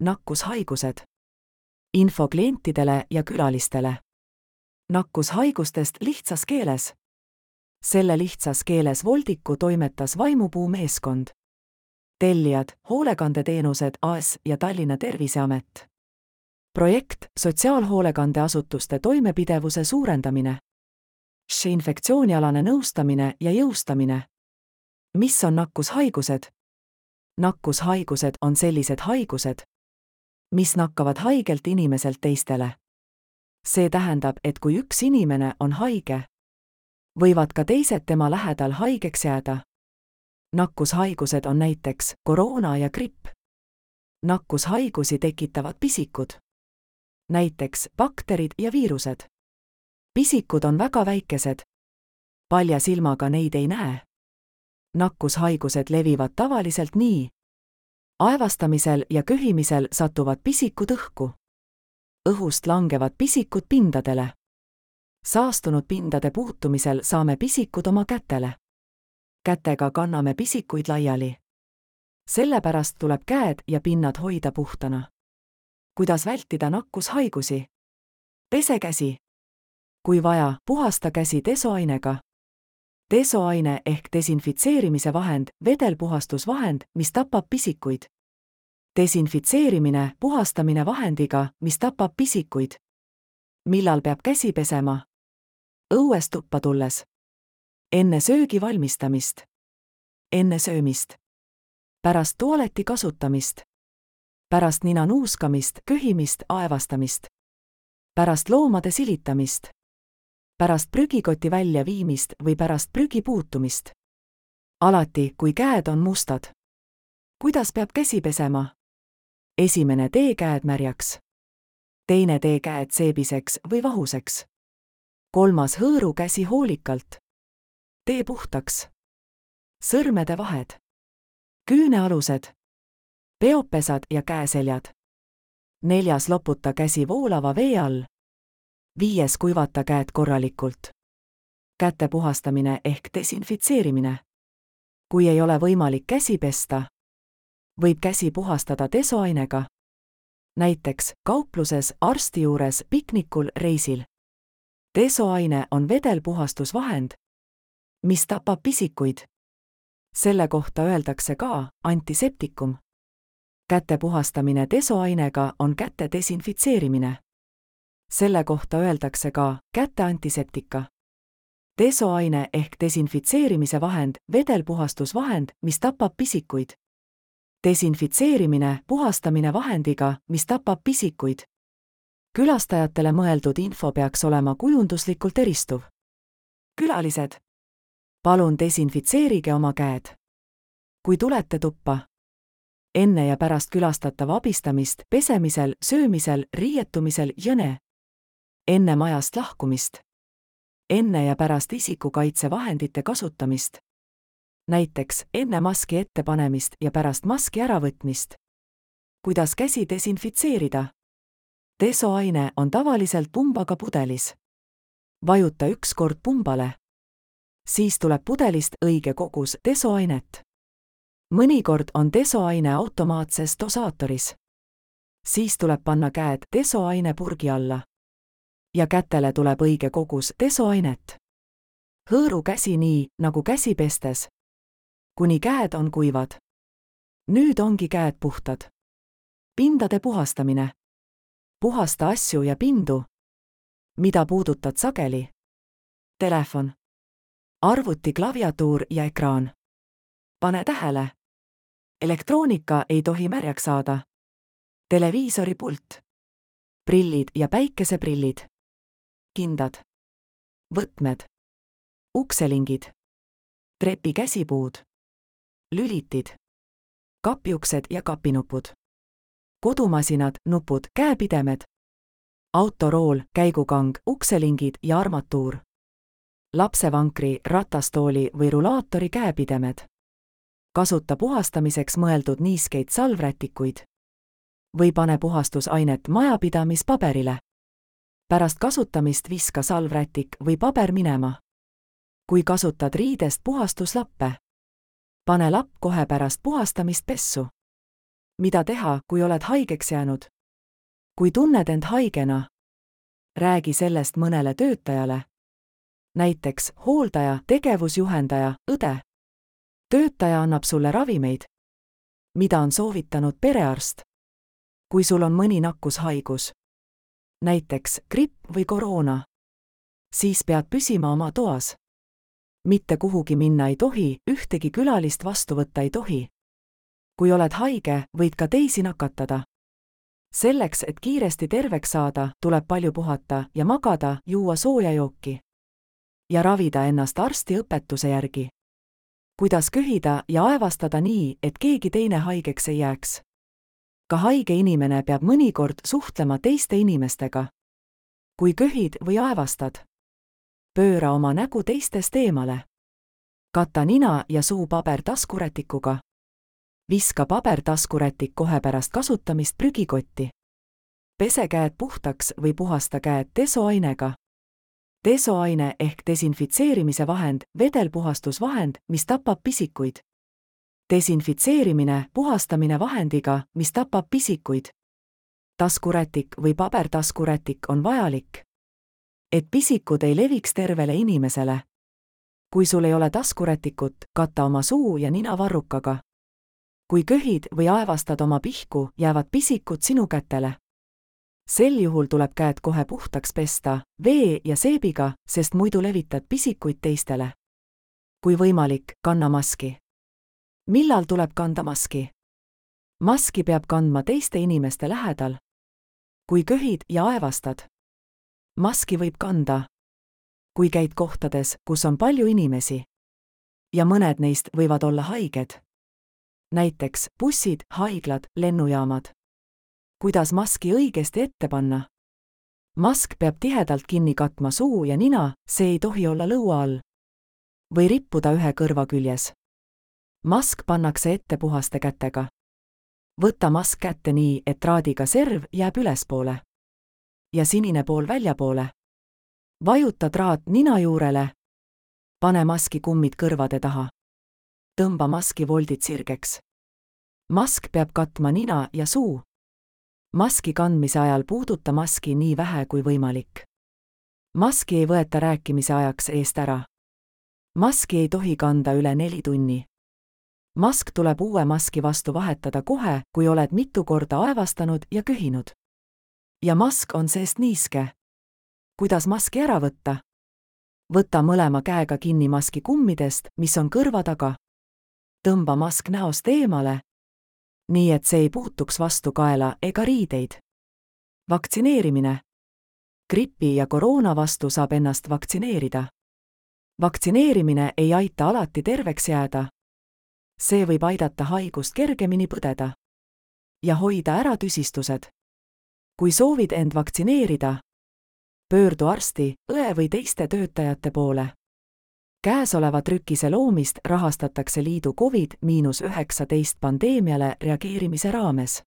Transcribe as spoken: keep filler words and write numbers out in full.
Nakkushaigused. Info klientidele ja külalistele. Nakkushaigustest lihtsas keeles. Selle lihtsas keeles voldiku toimetas Vaimupuu meeskond. Tellijad, hoolekandeteenused A S ja Tallinna Terviseamet. Projekt sotsiaalhoolekandeasutuste toimepidevuse suurendamine. S H infektsioonialane nõustamine ja jõustamine. Mis on nakkushaigused? Nakkushaigused on sellised haigused, mis nakkavad haigelt inimeselt teistele. See tähendab, et kui üks inimene on haige, võivad ka teised tema lähedal haigeks jääda. Nakkushaigused on näiteks koroona ja gripp. Nakkushaigusi tekitavad pisikud. Näiteks bakterid ja viirused. Pisikud on väga väikesed. Palja silmaga neid ei näe. Nakkushaigused levivad tavaliselt nii. Aevastamisel ja köhimisel satuvad pisikud õhku. Õhust langevad pisikud pindadele. Saastunud pindade puutumisel saame pisikud oma kätele. Kätega kanname pisikuid laiali. Sellepärast tuleb käed ja pinnad hoida puhtana. Kuidas vältida nakkushaigusi? Pese käsi. Kui vaja, puhasta käsi desoainega. Desoaine ehk desinfitseerimise vahend, vedelpuhastusvahend, mis tapab pisikuid. Desinfitseerimine, puhastamine vahendiga, mis tapab pisikuid. Millal peab käsi pesema? Õues tuppa tulles. Enne söögi valmistamist. Enne söömist. Pärast tualeti kasutamist. Pärast nina nuuskamist, köhimist, aevastamist. Pärast loomade silitamist. Pärast prügikoti välja viimist või pärast prügi puutumist. Alati, kui käed on mustad. Kuidas peab käsi pesema? Esimene tee käed märjaks. Teine tee käed seebiseks või vahuseks. Kolmas hõõru käsi hoolikalt. Tee puhtaks. Sõrmede vahed. Küünealused. Peopesad ja käeseljad. Neljas loputa käsi voolava vee all. Viies kuivata käed korralikult. Käte puhastamine ehk desinfitseerimine. Kui ei ole võimalik käsi pesta, võib käsi puhastada desoainega. Näiteks kaupluses, arsti juures, piknikul, reisil. Desoaine on vedelpuhastusvahend, mis tapab pisikuid. Selle kohta öeldakse ka antiseptikum. Käte puhastamine desoainega on käte desinfitseerimine. Selle kohta öeldakse ka käte antiseptika. Desoaine ehk desinfitseerimise vahend, vedelpuhastusvahend, mis tapab pisikuid. Desinfitseerimine, puhastamine vahendiga, mis tapab pisikuid. Külastajatele mõeldud info peaks olema kujunduslikult eristuv. Külalised. Palun desinfitseerige oma käed. Kui tulete tuppa. Enne ja pärast külastatava abistamist, pesemisel, söömisel, riietumisel, jõne. Enne majast lahkumist. Enne ja pärast isikukaitsevahendite kasutamist. Näiteks enne maski ettepanemist ja pärast maski äravõtmist. Kuidas käsi desinfitseerida? Desoaine on tavaliselt pumbaga pudelis. Vajuta üks kord pumbale. Siis tuleb pudelist õige kogus desoainet. Mõnikord on desoaine automaatses dosaatoris. Siis tuleb panna käed desoaine purgi alla. Ja kätele tuleb õige kogus desoainet. Hõõru käsi nii, nagu käsi pestes. Kuni käed on kuivad. Nüüd ongi käed puhtad. Pindade puhastamine. Puhasta asju ja pindu. Mida puudutad sageli? Telefon. Arvuti klaviatuur ja ekraan. Pane tähele. Elektroonika ei tohi märjaks saada. Televiisori pult. Prillid ja päikeseprillid. Kindad. Võtmed. Ukselingid. Trepi käsipuud. Lülitid. Kapiuksed ja kapinupud. Kodumasinad, nupud, käepidemed. Autorool, käigukang, ukselingid ja armatuur. Lapsevankri, ratastooli või rulaatori käepidemed. Kasuta puhastamiseks mõeldud niiskeid salvrätikuid. Või pane puhastusainet majapidamispaberile. Pärast kasutamist viska salvrätik või paber minema. Kui kasutad riidest puhastuslappe, pane lapp kohe pärast puhastamist pessu. mida teha, kui oled haigeks jäänud? Kui tunned end haigena, räägi sellest mõnele töötajale, näiteks hooldaja, tegevusjuhendaja, õde. Töötaja annab sulle ravimeid, mida on soovitanud perearst. Kui sul on mõni nakkushaigus, näiteks gripp või koroona, siis pead püsima oma toas. Mitte kuhugi minna ei tohi, ühtegi külalist vastu võtta ei tohi. Kui oled haige, võid ka teisi nakatada. Selleks, et kiiresti terveks saada, tuleb palju puhata ja magada, juua sooja jooki ja ravida ennast arsti õpetuse järgi. Kuidas köhida ja aevastada nii, et keegi teine haigeks ei jääks. Ka haige inimene peab mõnikord suhtlema teiste inimestega. Kui köhid või aevastad, pööra oma nägu teistest eemale. Kata nina ja suu paber taskurätikuga. Viska paber taskurätik kohe pärast kasutamist prügikotti. Pese käed puhtaks või puhasta käed desoainega. Desoaine ehk desinfitseerimise vahend, vedelpuhastusvahend, mis tapab pisikuid. Desinfitseerimine, puhastamine vahendiga, mis tapab pisikuid. Taskurätik või pabertaskurätik on vajalik, et pisikud ei leviks tervele inimesele. Kui sul ei ole taskurätikut, kata oma suu ja nina varrukaga. Kui köhid või aevastad oma pihku, jäävad pisikud sinu kätele. Sel juhul tuleb käed kohe puhtaks pesta, vee ja seebiga, sest muidu levitad pisikuid teistele. Kui võimalik, kanna maski. Millal tuleb kanda maski? Maski peab kandma teiste inimeste lähedal. Kui köhid ja aevastad, maski võib kanda, kui käid kohtades, kus on palju inimesi. Ja mõned neist võivad olla haiged. Näiteks bussid, haiglad, lennujaamad. Kuidas maski õigesti ette panna? Mask peab tihedalt kinni katma suu ja nina, see ei tohi olla lõua all. Või rippuda ühe kõrva küljes. Mask pannakse ette puhaste kätega. Võta mask kätte nii, et traadiga serv jääb ülespoole ja sinine pool väljapoole. Vajuta traat nina juurele. Pane maski kummid kõrvade taha. Tõmba maski voldid sirgeks. Mask peab katma nina ja suu. Maski kandmise ajal puuduta maski nii vähe kui võimalik. Maski ei võeta rääkimise ajaks eest ära. Maski ei tohi kanda üle neli tunni. Mask tuleb uue maski vastu vahetada kohe, kui oled mitu korda aevastanud ja köhinud. Ja mask on seest niiske. Kuidas maski ära võtta? Võta mõlema käega kinni maski kummidest, mis on kõrva taga. Tõmba mask näost eemale, nii et see ei puutuks vastu kaela ega riideid. Vaktsineerimine. Gripi ja koroona vastu saab ennast vaktsineerida. Vaktsineerimine ei aita alati terveks jääda. See võib aidata haigust kergemini põdeda ja hoida ära tüsistused. Kui soovid end vaktsineerida, pöördu arsti, õe või teiste töötajate poole. Käesoleva trükise loomist rahastatakse liidu Covid üheksateist pandeemiale reageerimise raames.